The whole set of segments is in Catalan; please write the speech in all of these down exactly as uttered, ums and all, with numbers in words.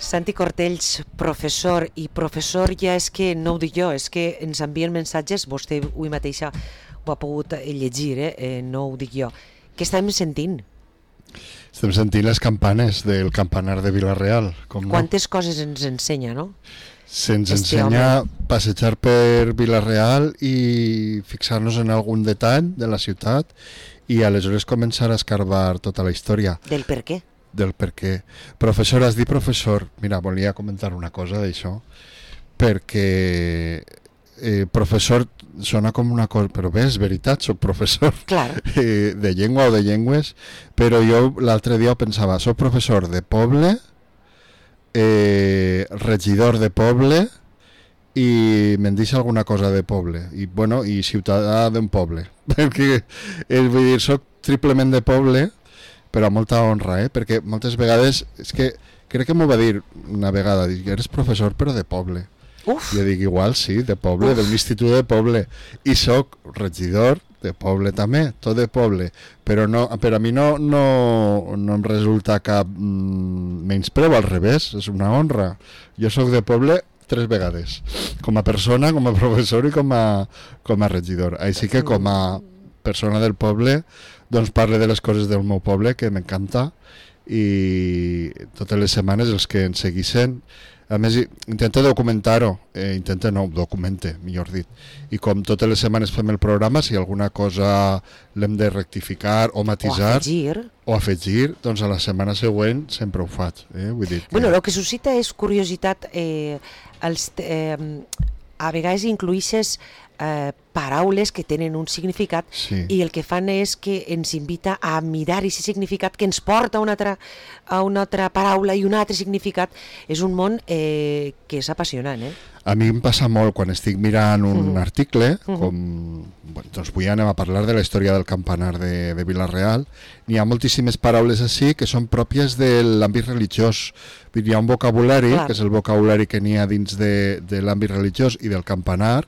Santi Cortells, professor, i professor ja és que no ho dic jo, és que ens envien missatges, vostè avui mateixa ho ha pogut llegir, eh? Eh, no ho dic jo. Què estem sentint? Estem sentint les campanes del campanar de Vila-real. Com Quantes no? coses ens ensenya, no? Se'ns este ensenya home. passejar per Vila-real i fixar-nos en algun detall de la ciutat i aleshores començar a escarbar tota la història. Del per què? Del per què. Professor, has dit professor. Mira, volia comentar una cosa d'això, perquè eh, professor sona com una cosa, però bé, és veritat, soc professor eh, de llengua o de llengües, però jo l'altre dia pensava, soc professor de poble, eh, regidor de poble i me'n deixa alguna cosa de poble i, bueno, i ciutadà d'un poble perquè és, vull dir, soc triplement de poble, però amb molta honra, eh? Perquè moltes vegades és que crec que m'ho va dir una vegada, dic, eres professor però de poble. Uf. Jo dic, igual sí, de poble, d'un institut de poble, i soc regidor de poble també, tot de poble, però no, per a mi no, no, no em resulta cap mm, menyspreu, al revés, és una honra. Jo soc de poble tres vegades, com a persona, com a professor i com a, com a regidor. Així que com a persona del poble, doncs parle de les coses del meu poble, que m'encanta, i totes les setmanes els que ens seguissin. A més, intenta documentar-ho, eh, intenta no, documente, millor dit. I com totes les setmanes fem el programa, si alguna cosa l'hem de rectificar o matisar... O afegir. O afegir, doncs a la setmana següent sempre ho faig. Eh? Vull dir que... Bueno, el que suscita és curiositat. Eh, els, eh, a vegades incluïsses eh, paraules que tenen un significat, sí. I el que fan és que ens invita a mirar aquest significat que ens porta a una altra, a una altra paraula i un altre significat. És un món eh, que és apassionant, eh? A mi em passa molt quan estic mirant un uh-huh. article, uh-huh. com bueno, doncs avui anem a parlar de la història del campanar de, de Vila-real. N'hi ha moltíssimes paraules així que són pròpies de l'àmbit religiós. Hi ha un vocabulari, Clar. que és el vocabulari que n'hi ha dins de, de l'àmbit religiós i del campanar,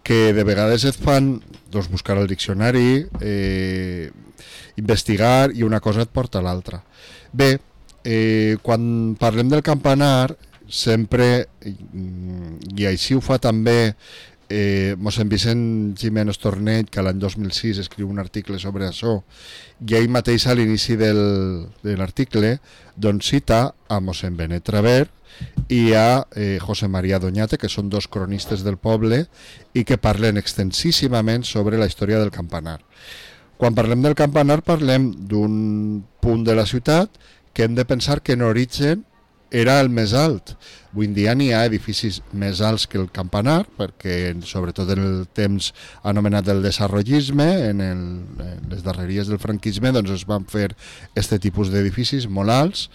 que de vegades et fan doncs, buscar el diccionari, eh, investigar, i una cosa et porta a l'altra. Bé, eh, quan parlem del campanar, sempre, i així ho fa també eh, mossèn Vicent Giménez Tornell, que l'any dos mil sis escriu un article sobre això, i ell mateix a l'inici del, de l'article doncs cita a mossèn Benet Traver i a eh, José María Doñate, que són dos cronistes del poble i que parlen extensíssimament sobre la història del campanar. Quan parlem del campanar parlem d'un punt de la ciutat que hem de pensar que en origen era el més alt. Avui en dia n'hi ha edificis més alts que el campanar, perquè sobretot en el temps anomenat del desarrollisme, en, el, en les darreries del franquisme, doncs es van fer aquest tipus d'edificis molt alts.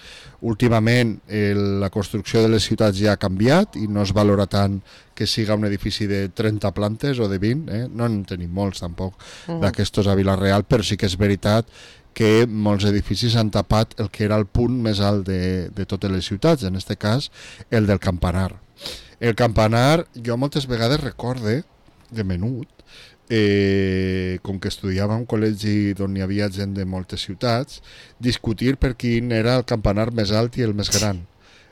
Últimament el, la construcció de les ciutats ja ha canviat i no es valora tant que siga un edifici de trenta plantes o de vint, eh? No en tenim molts tampoc uh-huh. d'aquestos a Vila-real, però sí que és veritat que molts edificis han tapat el que era el punt més alt de, de totes les ciutats, en aquest cas el del campanar. El campanar jo moltes vegades recorde, de menut, eh, com que estudiava en un col·legi on hi havia gent de moltes ciutats, discutir per quin era el campanar més alt i el més gran.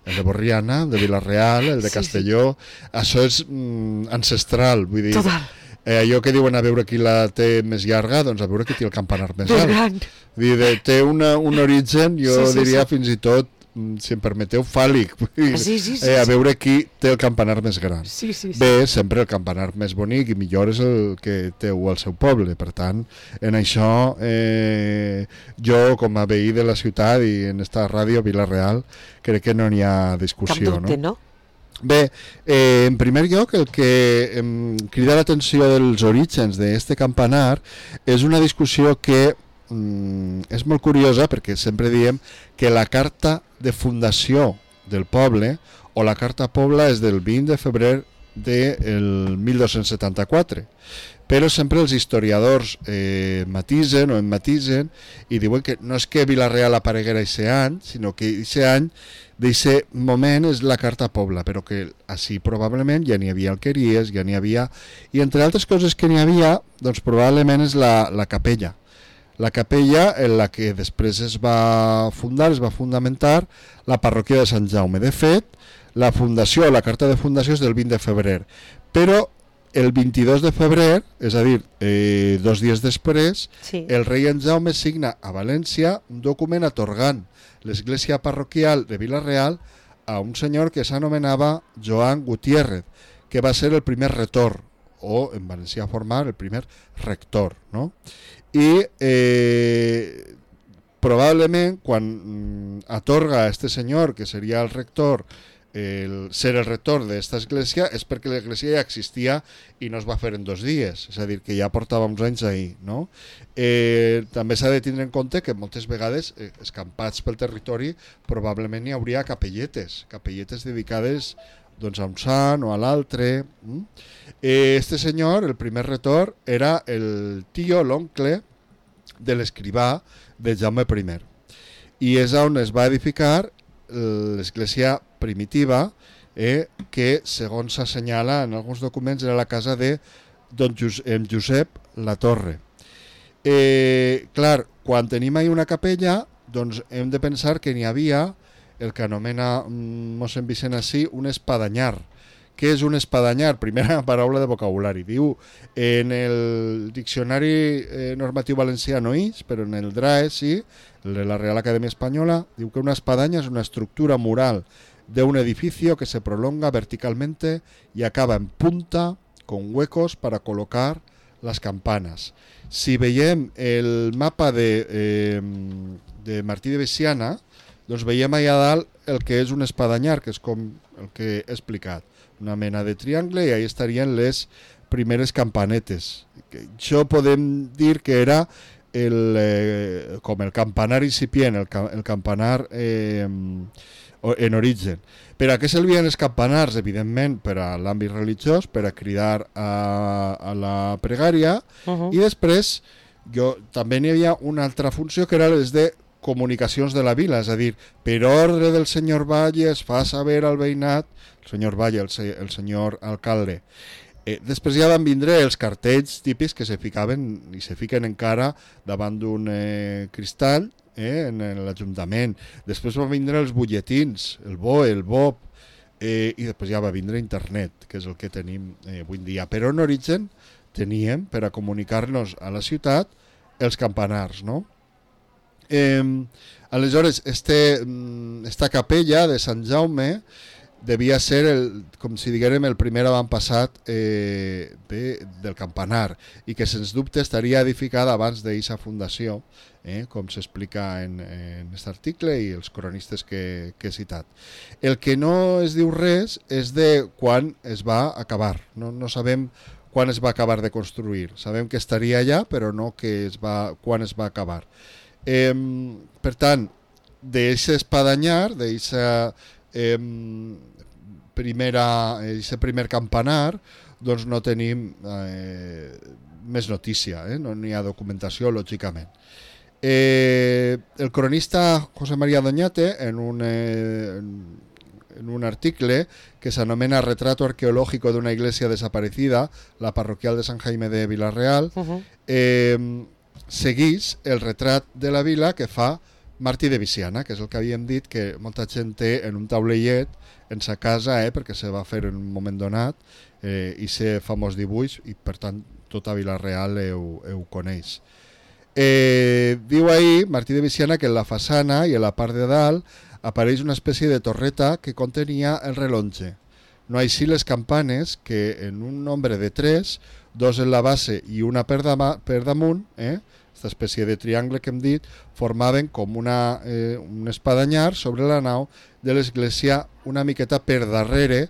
El de Borriana, el de Vila-real, el de sí, Castelló, sí. Això és mm, ancestral, vull dir... Total. Eh, allò que diuen a veure qui la té més llarga, doncs a veure qui té el campanar més alt. Gran. Vull dir, té una, un origen, jo sí, sí, diria sí. fins i tot, si em permeteu, fàl·lic. Vull dir, sí, sí, sí, eh, a sí. veure qui té el campanar més gran. Sí, sí, sí. Bé, sempre el campanar més bonic i millor és el que teu al seu poble. Per tant, en això, eh, jo com a veí de la ciutat i en esta ràdio Vila-real, crec que no n'hi ha discussió. Cap dubte, no? no? Bé, eh, en primer lloc, el que em crida l'atenció dels orígens d'este campanar és una discussió que mm, és molt curiosa, perquè sempre diem que la carta de fundació del poble o la carta pobla és del vint de febrer del mil dos-cents setanta-quatre, però sempre els historiadors eh, matisen o emmatisen i diuen que no és que Vila-real apareguera aquest any, sinó que aquest any d'aquest moment és la carta pobla, però que així probablement ja n'hi havia alqueries, ja n'hi havia, i entre altres coses que n'hi havia, doncs probablement és la, la capella, la capella en la que després es va fundar, es va fundamentar la parròquia de Sant Jaume. De fet, la fundació, la carta de fundació és del vint de febrer, però el vint-i-dos de febrer, és a dir, eh, dos dies després, sí. el rei en Jaume signa a València un document atorgant l'església parroquial de Vila-real a un senyor que s'anomenava Joan Gutiérrez, que va ser el primer retor, o en valencià formar el primer rector, no? I eh, probablement quan atorga a este senyor, que seria el rector, el ser el rector d'esta església, és perquè l'església ja existia i no es va fer en dos dies, és a dir, que ja portava uns anys ahí, no? Eh, també s'ha de tindre en compte que moltes vegades, eh, escampats pel territori, probablement hi hauria capelletes, capelletes dedicades doncs, a un sant o a l'altre. Eh, este senyor, el primer rector, era el tio, l'oncle de l'escrivà de Jaume I. I és on es va edificar l'església primitiva, eh, que segons s'assenyala en alguns documents era la casa de don Josep, Josep Latorre. Eh, clar, quan tenim ahí una capella, doncs hem de pensar que n'hi havia el que anomena mossèn Vicent així un espadanyar. Què és un espadanyar? Primera paraula de vocabulari. Diu, en el diccionari eh, normatiu valencià no és, però en el D R A E sí, de la Real Academia Española, diu que una espadaña es una estructura mural de un edificio que se prolonga verticalmente y acaba en punta con huecos para colocar las campanas. Si veiem el mapa de, eh, de Martí de Veciana, doncs veiem allà dalt el que és un espadanyar, que és com el que he explicat, una mena de triangle, i ahí estarien les primeres campanetes. Això podem dir que era el, eh, com el campanar incipient, el, el campanar eh, en origen. Per a què servien els campanars? Evidentment per a l'àmbit religiós, per a cridar a, a la pregària, uh-huh. i després jo, també n'hi havia una altra funció que era les de comunicacions de la vila, és a dir, per ordre del senyor Valle es fa saber al veïnat, el senyor Valle, el, se, el senyor alcalde. Eh, després ja van vindre els cartells típics que se ficaven i se fiquen encara davant d'un eh, cristall eh, en l'Ajuntament. Després van vindre els butlletins, el B O E, el B O P, eh, i després ja va vindre internet, que és el que tenim eh, avui en dia. Però en origen teníem, per a comunicar-nos a la ciutat, els campanars, no? Eh, aleshores, este, esta capella de Sant Jaume devia ser, el, com si diguérem, el primer avantpassat eh, de, del campanar, i que sens dubte estaria edificada abans d'aquesta fundació, eh, com s'explica en aquest article i els cronistes que, que he citat. El que no es diu res és de quan es va acabar, no, no sabem quan es va acabar de construir, sabem que estaria allà, però no que es va, quan es va acabar. Eh, per tant, d'aquest espadanyar, d'aquesta eh, primera, aquest primer campanar, doncs no tenim eh, més notícia, eh? No n'hi ha documentació, lògicament. Eh, el cronista José María Doñate, en un, eh, en un article que s'anomena Retrato arqueológico de una iglesia desaparecida, la parroquial de Sant Jaime de Vila-real, uh-huh. eh, seguís el retrat de la vila que fa Martí de Veciana, que és el que havíem dit que molta gent té en un taulellet en sa casa, eh, perquè se va fer en un moment donat, eh, i ser famós dibuix, i per tant tota Vila-real ho, ho coneix. Eh, diu ahí Martí de Veciana que en la façana i en la part de dalt apareix una espècie de torreta que contenia el rellotge. No així les campanes, que en un nombre de tres, dos en la base i una per, dama, per damunt, eh, aquesta espècie de triangle que hem dit, formaven com una, eh, un espadanyar sobre la nau de l'església una miqueta per darrere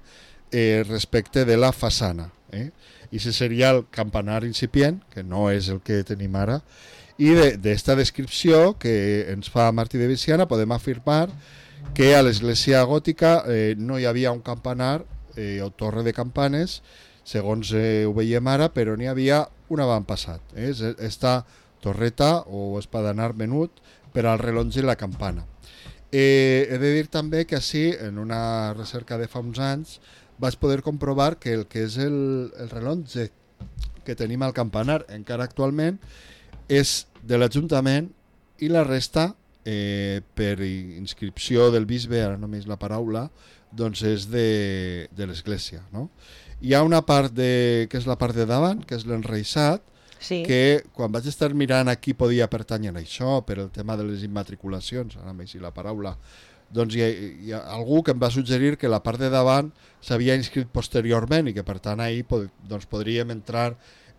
eh, respecte de la façana. Eh? I això seria el campanar incipient, que no és el que tenim ara, i d'esta de, descripció que ens fa Martí de Veciana podem afirmar que a l'església gòtica eh, no hi havia un campanar eh, o torre de campanes, segons eh, ho veiem ara, però n'hi havia un avantpassat. Eh? Esta torreta o espadanar menut per al rellotge i la campana. Eh, he de dir també que així, en una recerca de fa uns anys, vaig poder comprovar que el que és el, el rellotge que tenim al campanar encara actualment és de l'Ajuntament i la resta, eh, per inscripció del bisbe, ara només la paraula, doncs és de, de l'Església, no? Hi ha una part de, que és la part de davant, que és l'enreixat, sí. que quan vaig estar mirant a qui podia pertànyer això, per el tema de les immatriculacions, ara m'he la paraula, doncs hi ha, hi ha algú que em va suggerir que la part de davant s'havia inscrit posteriorment i que per tant ahir pod, doncs podríem entrar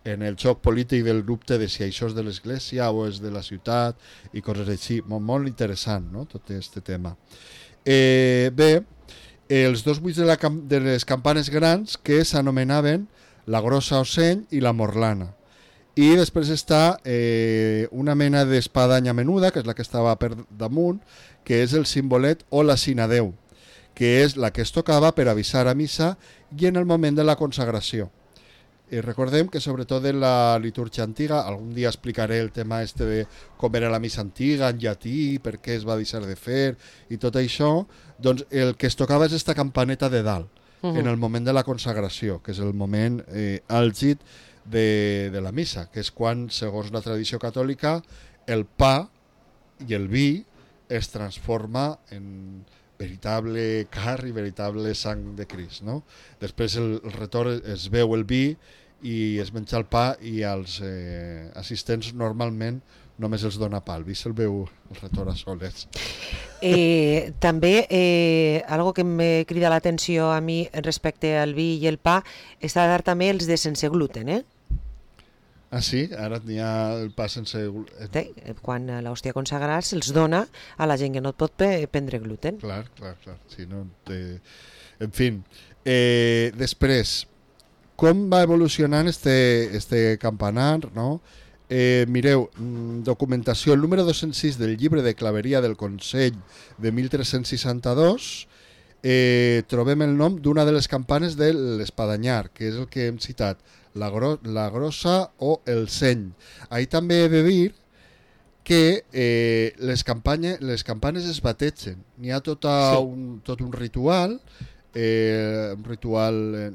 en el xoc polític del dubte de si això és de l'Església o és de la ciutat i coses així. Molt, molt interessant, no?, tot aquest tema. Eh, bé, els dos buits de, la, de les campanes grans que s'anomenaven la Grossa Oceny i la Morlana. I després està eh, una mena d'espadanya menuda, que és la que estava per damunt, que és el simbolet o la sinadeu, que és la que es tocava per avisar a missa i en el moment de la consagració. I recordem que sobretot en la litúrgia antiga, algun dia explicaré el tema este de com era la missa antiga en llatí, per què es va deixar de fer i tot això, doncs el que es tocava és esta campaneta de dalt, uh -huh. en el moment de la consagració, que és el moment eh, àlgid de, de la missa, que és quan, segons la tradició catòlica, el pa i el vi es transforma en veritable car i veritable sang de Crist, no? Després el, el retorn es veu el vi i es menja el pa i als eh, assistents normalment només els dona pa, el vi se'l veu el retorn a soles. Eh, també, eh, algo que me crida l'atenció a mi respecte al vi i el pa, està a dar també els de sense gluten, eh? Ah, sí? Ara n'hi ha el pa sense gluten. Sí, quan l'hòstia consagrada se'ls dona a la gent que no et pot prendre gluten. Clar, clar, clar. Sí, no, eh, en fi, eh, després, com va evolucionant este, este campanar, no? Eh, mireu, documentació, el número dos-cents sis del llibre de claveria del Consell de mil tres-cents seixanta-dos, eh, trobem el nom d'una de les campanes de l'Espadanyar, que és el que hem citat, la, gro la grossa o el seny. Ahí també he de dir que eh, les, campanya, les campanes es bategen. N'hi ha tota sí. un, tot un ritual, eh, un ritual eh,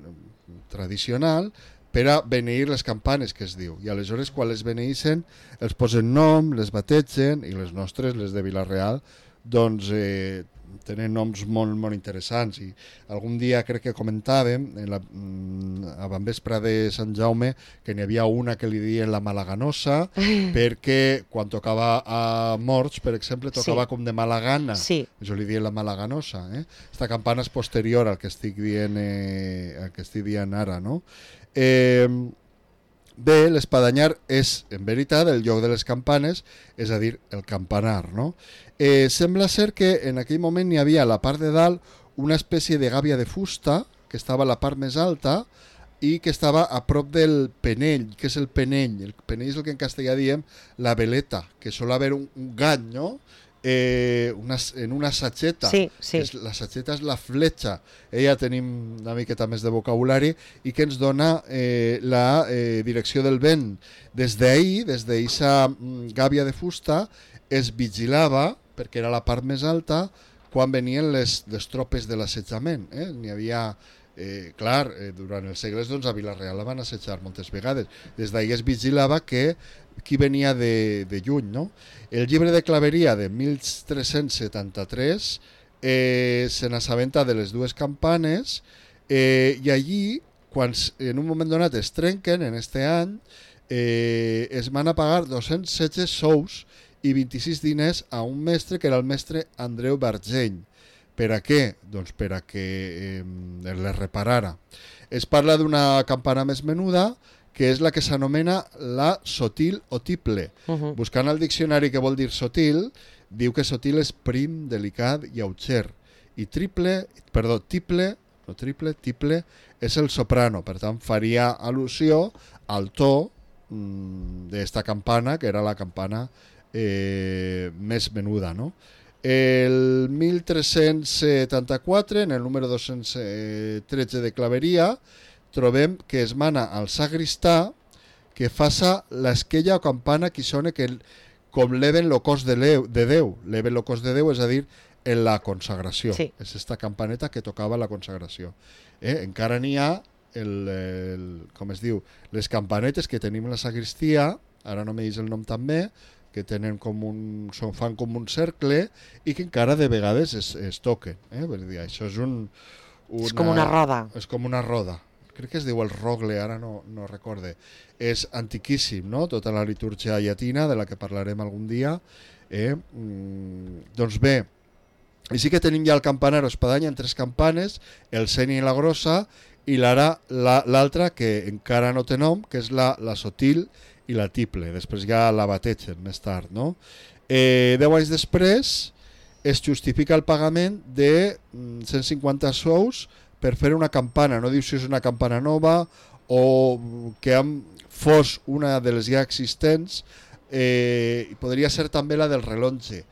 tradicional, per a beneir les campanes, que es diu. I aleshores, quan les beneeixen, els posen nom, les bategen, i les nostres, les de Vila-real, doncs eh, tenen noms molt, molt interessants. I algun dia crec que comentàvem, en la, a Banvespre de Sant Jaume, que n'hi havia una que li diuen la Malaganosa, perquè quan tocava a Morts, per exemple, tocava sí. com de mala gana. Sí. Això li diuen la Malaganosa. Eh? Esta campana és posterior al que estic dient, eh, al que estic dient ara, no? Eh, bé, l'Espadanyar és, en veritat, el lloc de les campanes, és a dir, el campanar, no? Eh, sembla ser que en aquell moment hi havia a la part de dalt una espècie de gàbia de fusta, que estava a la part més alta i que estava a prop del penell. Què és el penell? El penell és el que en castellà diem la veleta, que sol haver un, un gany, no? Eh, una, en una satxeta. Sí, sí. És, la satxeta és la fletxa. Eh, ja tenim una miqueta més de vocabulari i que ens dona eh, la eh, direcció del vent. Des d'ahir, des d'eixa gàbia de fusta, es vigilava, perquè era la part més alta, quan venien les, les tropes de l'assetjament. Eh? N'hi havia, eh, clar, eh, durant els segles doncs, a Vila-real la van assetjar moltes vegades. Des d'ahir es vigilava que qui venia de, de lluny, no? El llibre de claveria de mil tres-cents setanta-tres eh, se n'assabenta de les dues campanes eh, i allí, quan en un moment donat es trenquen, en este any, eh, es van a pagar dos-cents setze sous i vint-i-sis diners a un mestre que era el mestre Andreu Bargeny. Per a què? Doncs per a que eh, les reparara. Es parla d'una campana més menuda, que és la que s'anomena la sotil o tiple. Uh -huh. Buscant al diccionari què vol dir sotil, diu que sotil és prim, delicat i auxer. I triple, perdó, tiple, no triple, tiple, és el soprano. Per tant, faria al·lusió al to mmm, d'esta campana, que era la campana eh, més menuda, no? El mil tres-cents setanta-quatre, en el número dos-cents tretze de claveria, trobem que es mana al sagristà que faça l'esquella o campana que sona que com leven lo cos de, de Déu. Leven lo cos de Déu, és a dir, en la consagració. Sí. És esta campaneta que tocava la consagració. Eh? Encara n'hi ha, el, el, com es diu, les campanetes que tenim a la sagristia, ara no me dis el nom també, que tenen com un, són, fan com un cercle i que encara de vegades es, es toquen. Eh? Vull dir, això és un... Una, és com una roda. És com una roda. Crec que es diu el rogle, ara no, no recorde. És antiquíssim, no? Tota la litúrgia llatina, de la que parlarem algun dia. Eh? Mm, doncs bé, i sí que tenim ja el campanar o espadanya en tres campanes, el seny i la grossa, i l'altra la, que encara no té nom, que és la, la sotil i la tiple. Després ja la bategen més tard, no? Eh, deu anys després es justifica el pagament de cent cinquanta sous per fer una campana. No diu si és una campana nova o que fos una de les ja existents, eh, i podria ser també la del relonge.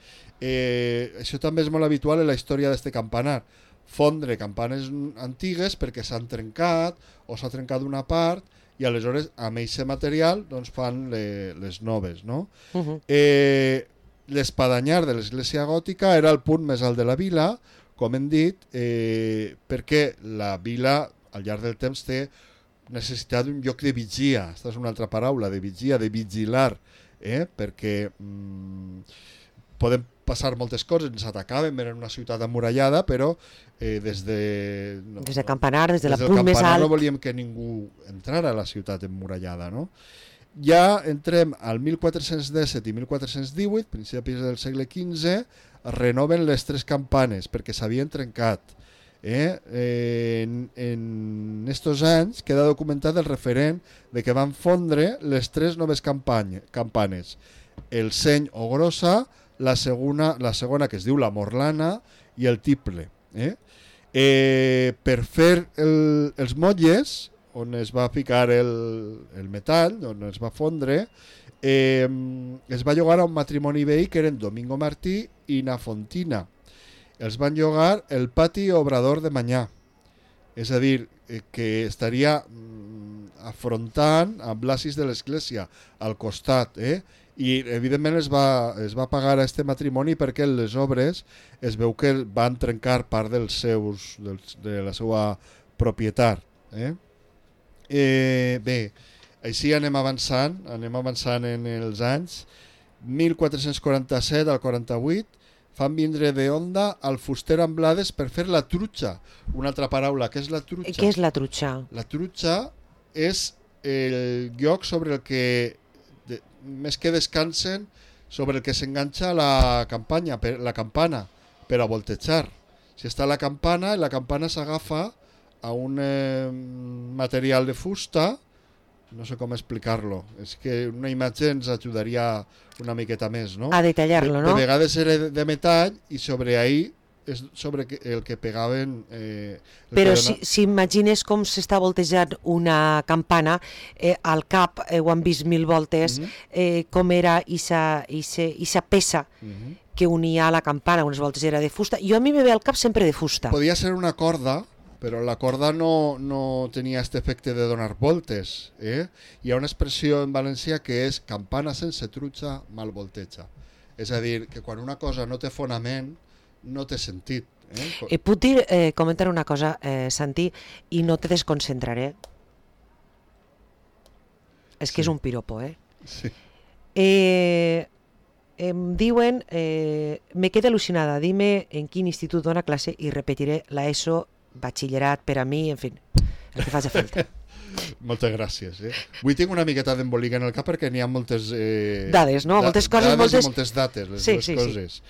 Eh, això també és molt habitual en la història d'este campanar. Fondre campanes antigues perquè s'han trencat o s'ha trencat una part i aleshores amb aquest material doncs, fan le, les noves, no? Uh -huh. eh, l'espadanyar de l'església gòtica era el punt més alt de la vila, com hem dit, eh, perquè la vila al llarg del temps té necessitat d'un lloc de vigia. Aquesta és una altra paraula, de vigia, de vigilar, eh? Perquè mm, podem passar moltes coses, ens atacaven, eren una ciutat amurallada, però eh, des de... No, des de campanar, des de des la punt més alt... no volíem que ningú entrara a la ciutat emmurallada, no? Ja entrem al mil quatre-cents disset i mil quatre-cents divuit, principis del segle quinze, es renoven les tres campanes perquè s'havien trencat. Eh? Eh, en, en estos anys queda documentat el referent de que van fondre les tres noves campany, campanes. El seny o grossa, la segona, la segona que es diu la morlana i el tiple. Eh? Eh, per fer el, els motlles, on es va ficar el, el metall, on es va fondre, eh, es va llogar a un matrimoni veí que eren Domingo Martí i Na Fontina. Els van llogar el pati obrador de Manyà. És a dir, eh, que estaria mm, afrontant amb l'acis de l'església al costat, eh? I evidentment es va, es va pagar a este matrimoni perquè les obres es veu que van trencar part dels seus, dels, de la seva propietat. Eh? Eh, bé, així anem avançant, anem avançant en els anys. mil quatre-cents quaranta-set al quaranta-vuit fan vindre de Onda al fuster Amblades per fer la trutxa. Una altra paraula, què és la trutxa? Què és la trutxa? La trutxa és el lloc sobre el que de, més que descansen, sobre el que s'enganxa la campanya, per, la campana, per a voltejar. Si està la campana, la campana s'agafa a un eh, material de fusta, no sé com explicar-lo, és que una imatge ens ajudaria una miqueta més, no? A detallar-lo, no? De, de vegades era de metall i sobre ahí és sobre el que pegaven... Eh, Però si, si imagines com s'està voltejant una campana, eh, al cap eh, ho han vist mil voltes, uh -huh. eh, com era aquesta peça uh -huh. que unia a la campana, unes voltes era de fusta. Jo a mi me ve al cap sempre de fusta. Podia ser una corda, però la corda no, no tenia aquest efecte de donar voltes. Eh? Hi ha una expressió en valencià que és campana sense trutxa mal volteja. És a dir, que quan una cosa no té fonament, no té sentit. Eh? Eh, puc dir, eh, comentar una cosa, eh, Santi, i no te desconcentraré. És que sí. És un piropo, eh? Sí. Eh, em diuen, eh, me quedé al·lucinada, dime en quin institut dona classe i repetiré la ESO, batxillerat, per a mi, en fi, el que faci falta. Moltes gràcies. Eh? Avui tinc una miqueta d'embolica en el cap perquè n'hi ha moltes... Eh, dades, no? Moltes coses, dades moltes... i moltes dates, les sí, dues sí, coses. Sí.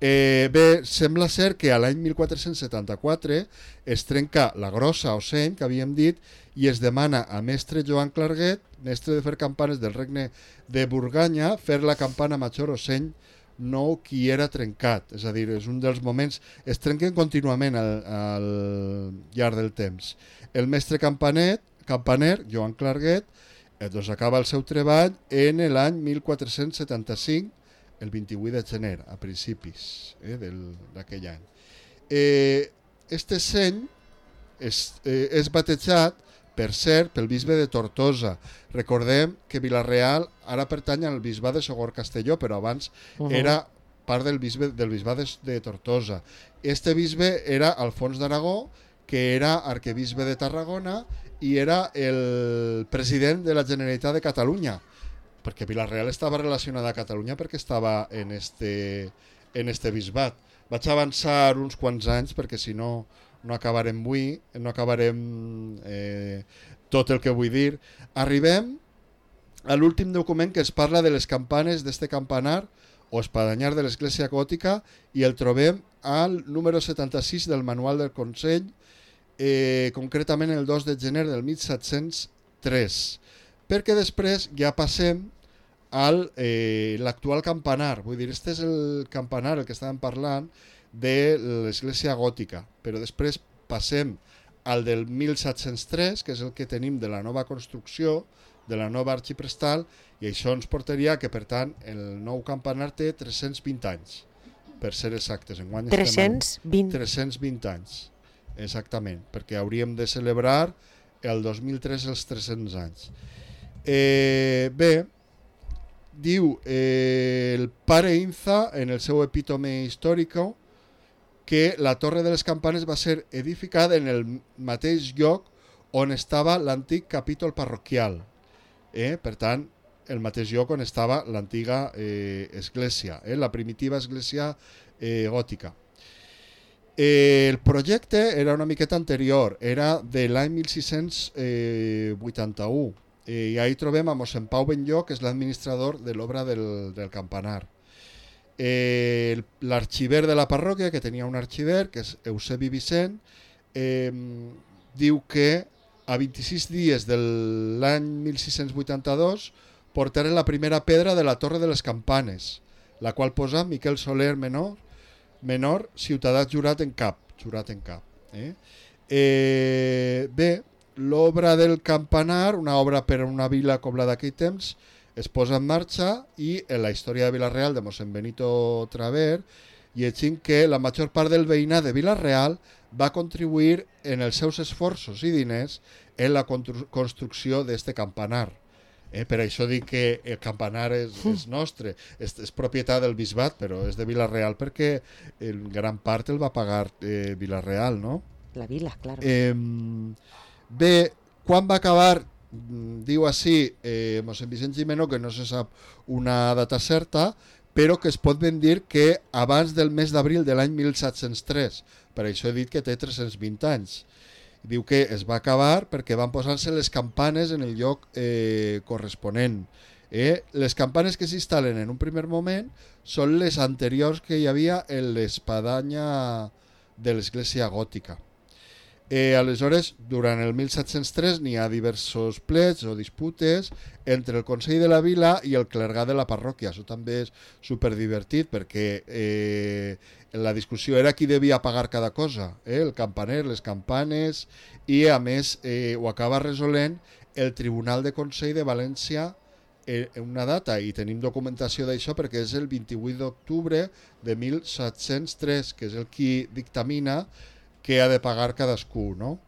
Eh, bé, sembla ser que a l'any mil quatre-cents setanta-quatre es trenca la grossa o seny, que havíem dit, i es demana a mestre Joan Clarguet, mestre de fer campanes del regne de Burganya, fer la campana major o seny nou qui era trencat. És a dir, és un dels moments... Es trenquen contínuament al, al llarg del temps. El mestre campanet, campaner, Joan Clarguet, eh, doncs acaba el seu treball en l'any mil quatre-cents setanta-cinc, el vint-i-vuit de gener, a principis eh, d'aquell any. Eh, este seny és, eh, és batejat, per cert, pel bisbe de Tortosa. Recordem que Vila-real ara pertany al bisbat de Sogorb-Castelló, però abans uh -huh. era part del, bisbe, del bisbat de, de Tortosa. Este bisbe era Alfons d'Aragó, que era arquebisbe de Tarragona i era el president de la Generalitat de Catalunya. perquè Vila-real estava relacionada a Catalunya perquè estava en este, en este bisbat. Vaig avançar uns quants anys perquè si no no acabarem avui, no acabarem eh, tot el que vull dir. Arribem a l'últim document que es parla de les campanes d'este campanar o espadanyar de l'església gòtica i el trobem al número setanta-sis del manual del Consell, eh, concretament el dos de gener del mil set-cents tres, perquè després ja passem al eh, l'actual campanar. Vull dir, este és el campanar el que estàvem parlant de l'església gòtica, però després passem al del mil set-cents tres, que és el que tenim de la nova construcció, de la nova arxiprestal, i això ens portaria que, per tant, el nou campanar té tres-cents vint anys, per ser exactes. Enguany tres-cents vint. tres-cents vint anys, exactament, perquè hauríem de celebrar el dos mil tres els tres-cents anys. Eh, bé, diu eh, el pare Inza, en el seu epítome històrico, que la Torre de les Campanes va ser edificada en el mateix lloc on estava l'antic capítol parroquial. Eh? Per tant, el mateix lloc on estava l'antiga eh, església, eh? la primitiva església eh, gòtica. Eh, el projecte era una miqueta anterior, era de l'any mil sis-cents vuitanta-u, eh, i ahí trobem a mossèn Pau Benlló, que és l'administrador de l'obra del, del campanar. Eh, l'arxiver de la parròquia, que tenia un arxiver, que és Eusebi Vicent, eh, diu que a vint-i-sis dies de l'any mil sis-cents vuitanta-dos portaren la primera pedra de la Torre de les Campanes, la qual posa Miquel Soler Menor, menor ciutadà jurat en cap. Jurat en cap eh? Eh, bé, l'obra del campanar, una obra per a una vila com la d'aquell temps, es posa en marxa i en la història de Vila-real de mossèn Benito Traver llegim que la major part del veïnat de Vila-real va contribuir en els seus esforços i diners en la construcció d'este campanar. Eh, per això dic que el campanar és, és nostre, és, és propietat del bisbat, però és de Vila-real perquè en gran part el va pagar eh, Vila-real, no? La vila, claro. Eh, bé, quan va acabar, diu així, eh, mossèn Vicent Gimeno, que no se sap una data certa, però que es pot ben dir que abans del mes d'abril de l'any mil set-cents tres, per això he dit que té tres-cents vint anys. Diu que es va acabar perquè van posar-se les campanes en el lloc eh, corresponent. Eh? Les campanes que s'instal·len en un primer moment són les anteriors que hi havia en l'espadanya de l'església gòtica. Eh, aleshores, durant el mil set-cents tres n'hi ha diversos plets o disputes entre el Consell de la Vila i el clergat de la parròquia. Això també és superdivertit perquè eh, la discussió era qui devia pagar cada cosa, eh? El campaner, les campanes, i a més eh, ho acaba resolent el Tribunal de Consell de València en una data, i tenim documentació d'això perquè és el vint-i-vuit d'octubre de mil set-cents tres, que és el qui dictamina que ha de pagar cadascú, no?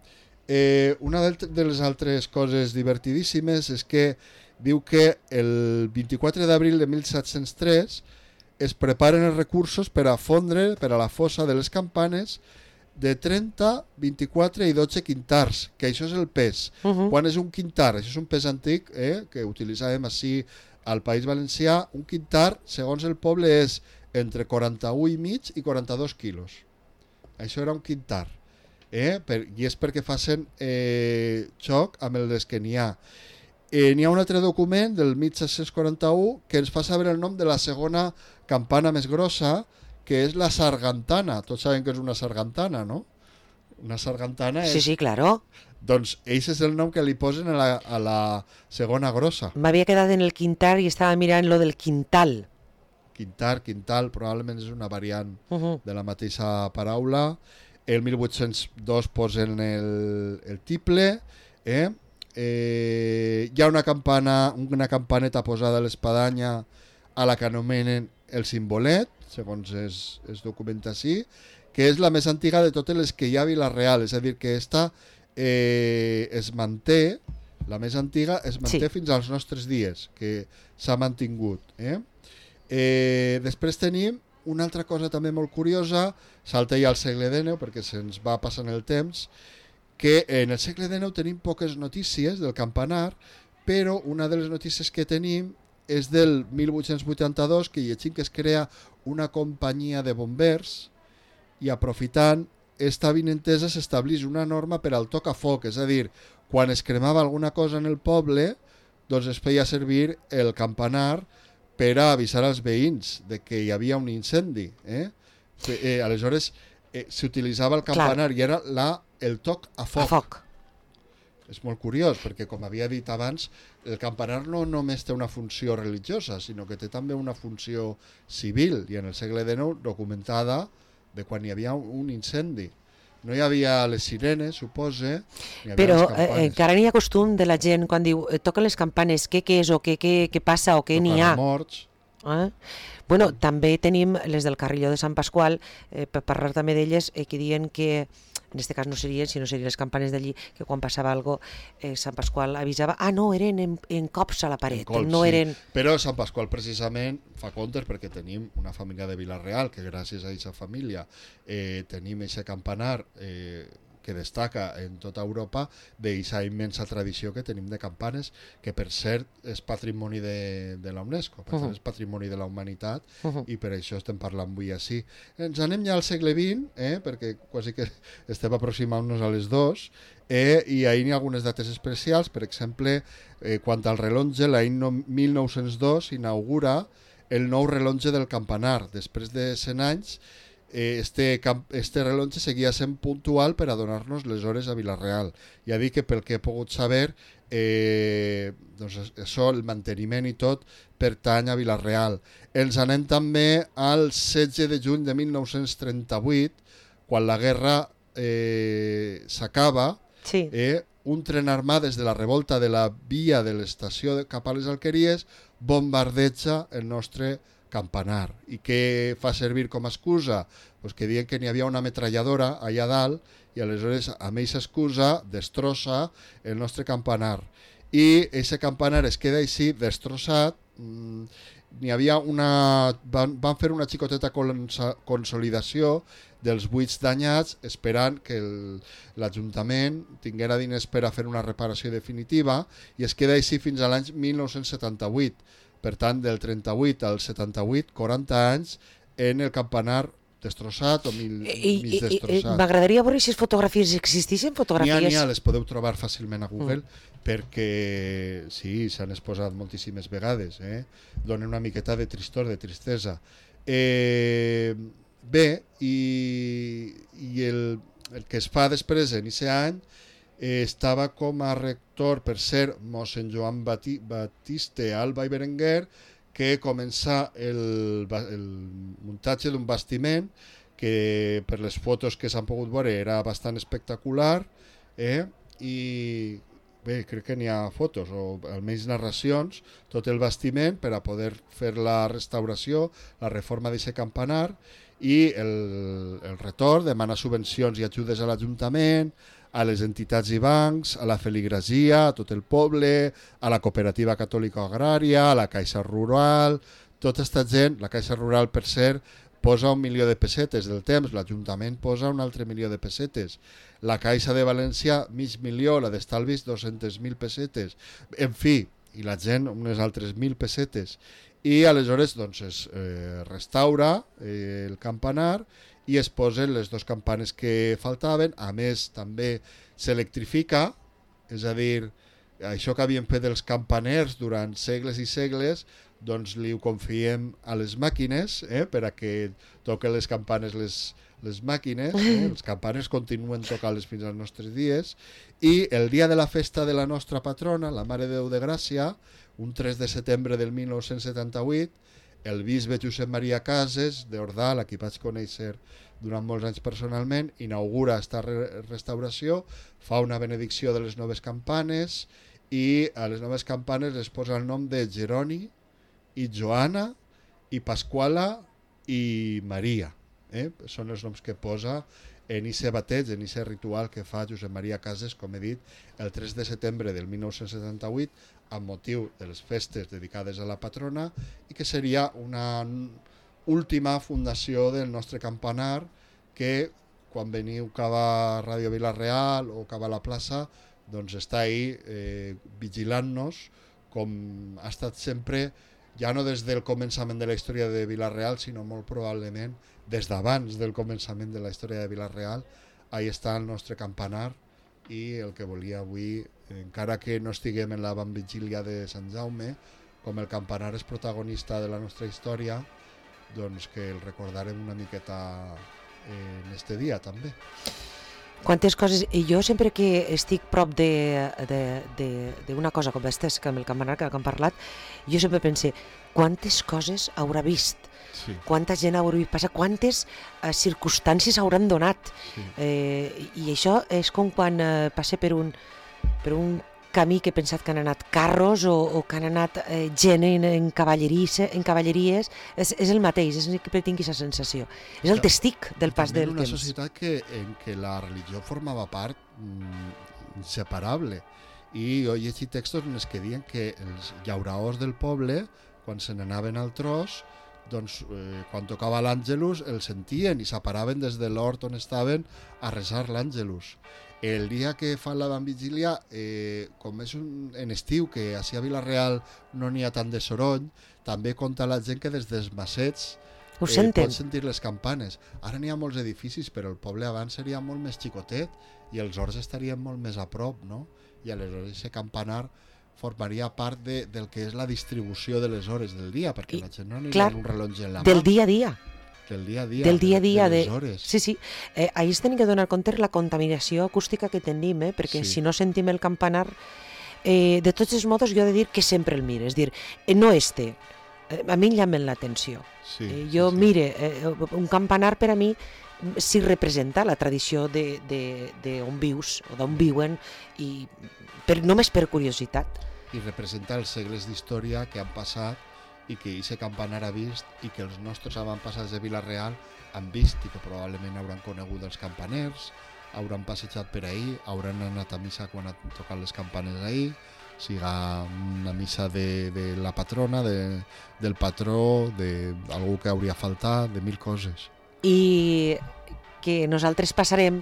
Eh, una de les altres coses divertidíssimes és que diu que el vint-i-quatre d'abril de mil set-cents tres es preparen els recursos per a fondre per a la fossa de les campanes de trenta, vint-i-quatre i dotze quintars, que això és el pes. Uh-huh. Quan és un quintar? Això és un pes antic eh, que utilitzàvem així al País Valencià. Un quintar, segons el poble, és entre quaranta-u i mig i quaranta-dos quilos. Això era un quintar. Eh? Per, I és perquè facin eh, xoc amb les que n'hi ha. Eh, n'hi ha un altre document del mil set-cents quaranta-u que ens fa saber el nom de la segona campana més grossa, que és la sargantana. Tots saben que és una sargantana, no? Una sargantana és... Sí, sí, claro. Doncs ell és el nom que li posen a la, a la segona grossa. M'havia quedat en el quintar i estava mirant lo del quintal. Quintar, quintal, probablement és una variant uh-huh. de la mateixa paraula. El mil vuit-cents dos posen el, el tiple. Eh? Eh, hi ha una campana, una campaneta posada a l'espadanya a la que anomenen el Simbolet, segons es, es documenta així, que és la més antiga de totes les que hi ha a Vila-real, és a dir, que esta eh, es manté, la més antiga es manté sí. fins als nostres dies, que s'ha mantingut. Eh? Eh, després tenim una altra cosa també molt curiosa, salta ja al segle dinou perquè se'ns va passant el temps, que en el segle dinou tenim poques notícies del campanar, però una de les notícies que tenim és del mil vuit-cents vuitanta-dos, que llegim que es crea una companyia de bombers i aprofitant esta avinentesa s'establís una norma per al toc a foc, és a dir, quan es cremava alguna cosa en el poble, doncs es feia servir el campanar per a avisar als veïns de que hi havia un incendi. Eh? Eh, aleshores eh, s'utilitzava el campanar Clar. i era la, el toc a foc. A foc. És molt curiós, perquè com havia dit abans, el campanar no només té una funció religiosa, sinó que té també una funció civil, i en el segle dinou documentada de quan hi havia un incendi. No hi havia les sirenes, supose, ni havia però les campanes. Eh, encara n'hi ha costum de la gent quan diu eh, toquen les campanes, què, què és o què, què, què passa o què n'hi ha. Morts. Eh? Bueno, també tenim les del Carrilló de Sant Pasqual, eh, per parlar també d'elles, eh, que diuen que, en aquest cas no serien, sinó serien les campanes d'allí, que quan passava alguna cosa, eh, Sant Pasqual avisava, ah no, eren en, en cops a la paret, Colp, no sí. eren... Però Sant Pasqual precisament fa comptes perquè tenim una família de Vila-real que gràcies a aquesta família eh, tenim aquest campanar eh, que destaca en tota Europa d'aquesta immensa tradició que tenim de campanes, que per cert és patrimoni de, de la UNESCO, per uh -huh. tant és patrimoni de la humanitat, uh -huh. i per això estem parlant avui així. Ens anem ja al segle vint, eh, perquè quasi que estem aproximant-nos a les dos, eh, i ahir hi ha algunes dates especials, per exemple, eh, quant al rellotge, l'any no, mil nou-cents dos s'inaugura el nou rellotge del campanar, després de cent anys. Este, este rellotge seguia sent puntual per a donar-nos les hores a Vila-real. Ja dic que pel que he pogut saber, eh, doncs això, el manteniment i tot, pertany a Vila-real. Ens anem també al setze de juny de mil nou-cents trenta-vuit, quan la guerra eh, s'acaba, sí. eh, un tren armat des de la revolta de la via de l'estació de cap a les Alqueries bombardeja el nostre campanar. I què fa servir com a excusa? Pues que diuen que n'hi havia una ametralladora allà dalt i aleshores amb aquesta excusa destrossa el nostre campanar. I aquest campanar es queda així destrossat. Mm, n'hi havia una... Van, van fer una xicoteta consolidació dels buits danyats esperant que l'Ajuntament tinguera diners per a fer una reparació definitiva i es queda així fins a l'any mil nou-cents setanta-vuit. Per tant, del trenta-vuit al setanta-vuit, quaranta anys, en el campanar destrossat o mil, I, mig destrossat. M'agradaria veure si les fotografies existeixen, fotografies... N'hi ha, n'hi ha, les podeu trobar fàcilment a Google, mm. perquè sí, s'han exposat moltíssimes vegades, eh? Donen una miqueta de tristor, de tristesa. Eh, bé, i, i el, el que es fa després, en aquest any, eh, estava com a rector, per ser mossèn Joan Bati, Batiste Alba i Berenguer, que comença el, el muntatge d'un bastiment que per les fotos que s'han pogut veure era bastant espectacular, eh? I bé, crec que n'hi ha fotos o almenys narracions, tot el bastiment per a poder fer la restauració, la reforma d'aquest campanar, i el, el retorn demana subvencions i ajudes a l'Ajuntament, a les entitats i bancs, a la feligrasia, a tot el poble, a la cooperativa catòlica agrària, a la Caixa Rural. Tota aquesta gent, la Caixa Rural, per cert, posa un milió de pessetes del temps, l'Ajuntament posa un altre milió de pessetes, la Caixa de València mig milió, la d'Estalvis dos-centes mil pessetes, en fi, i la gent unes altres mil pessetes. I aleshores doncs, es eh, restaura eh, el campanar i es posen les dues campanes que faltaven. A més, també s'electrifica, és a dir, això que havien fet els campaners durant segles i segles, doncs li ho confiem a les màquines, eh, per a que toquen les campanes les, les màquines, eh? Els campaners continuen tocant-les fins als nostres dies, i el dia de la festa de la nostra patrona, la Mare de Déu de Gràcia, un tres de setembre del mil nou-cents setanta-vuit, el bisbe Josep Maria Cases d'Ordal, a qui vaig conèixer durant molts anys personalment, inaugura aquesta re restauració, fa una benedicció de les noves campanes i a les noves campanes les posa el nom de Jeroni i Joana i Pasquala i Maria. Eh? Són els noms que posa en aquest bateig, en aquest ritual que fa Josep Maria Cases, com he dit, el tres de setembre del mil nou-cents setanta-vuit, amb motiu de les festes dedicades a la patrona, i que seria una última fundació del nostre campanar, que quan veniu cap a Ràdio Vila-real o cap a la plaça, doncs està ahí eh, vigilant-nos, com ha estat sempre ja no des del començament de la història de Vila-real, sinó molt probablement des d'abans del començament de la història de Vila-real. Ahí està el nostre campanar i el que volia avui, encara que no estiguem en la Vigília de Sant Jaume, com el campanar és protagonista de la nostra història, doncs que el recordarem una miqueta en este dia també. Quantes coses, i jo sempre que estic prop d'una cosa com aquesta, que amb el campanar que hem parlat, jo sempre pense, quantes coses haurà vist, sí. Quanta gent haurà vist passar, quantes eh, circumstàncies hauran donat, sí. eh, i això és com quan eh, passa per un, per un camí que he pensat que han anat carros o, o que han anat eh, gent en, en, cavalleries, en cavalleries, és, és el mateix, és que tinc aquesta sensació. És el testic del pas del temps. Una societat que, en què la religió formava part mm, inseparable. I jo he llegit textos en els que diuen que els llauraors del poble, quan se n'anaven al tros, doncs eh, quan tocava l'Àngelus el sentien i s'aparaven des de l'hort on estaven a resar l'Àngelus. El dia que fan la Vigília, eh, com és un, en estiu, que així a Vila-real no n'hi ha tant de soroll, també conta la gent que des dels macets Ho eh, pot sentir les campanes. Ara n'hi ha molts edificis, però el poble abans seria molt més xicotet i els horts estarien molt més a prop, no? I aleshores aquest campanar formaria part de, del que és la distribució de les hores del dia, perquè I, la gent no aniria amb un rellotge en la mà. Del dia a dia. Del dia a dia, del dia, a dia de, de les de... hores. Sí, sí. Eh, ahir es tenim que donar compte la contaminació acústica que tenim, eh? Perquè sí. Si no sentim el campanar, eh, de tots els modos jo he de dir que sempre el mire, és dir, eh, no este, eh, a mi em llamen l'atenció. Sí, eh, jo sí, sí. mire, eh, un campanar per a mi sí representa la tradició d'on vius o d'on viuen, i per, només per curiositat. I representa els segles d'història que han passat i que aquest campanar ha vist i que els nostres avantpassats de Vila-real han vist i que probablement hauran conegut els campaners, hauran passejat per ahir, hauran anat a missa quan han tocat les campanes ahir, siga una missa de, de la patrona, de, del patró, d'algú que hauria faltat, de mil coses. I que nosaltres passarem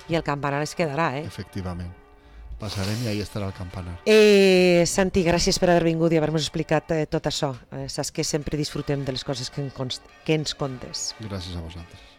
i el campanar es quedarà, eh? Efectivament. Passarem i ahí estarà el campanar. Eh, Santi, gràcies per haver vingut i haver-nos explicat eh, tot això. Eh, saps que sempre disfrutem de les coses que, en const, que ens contes. Gràcies a vosaltres.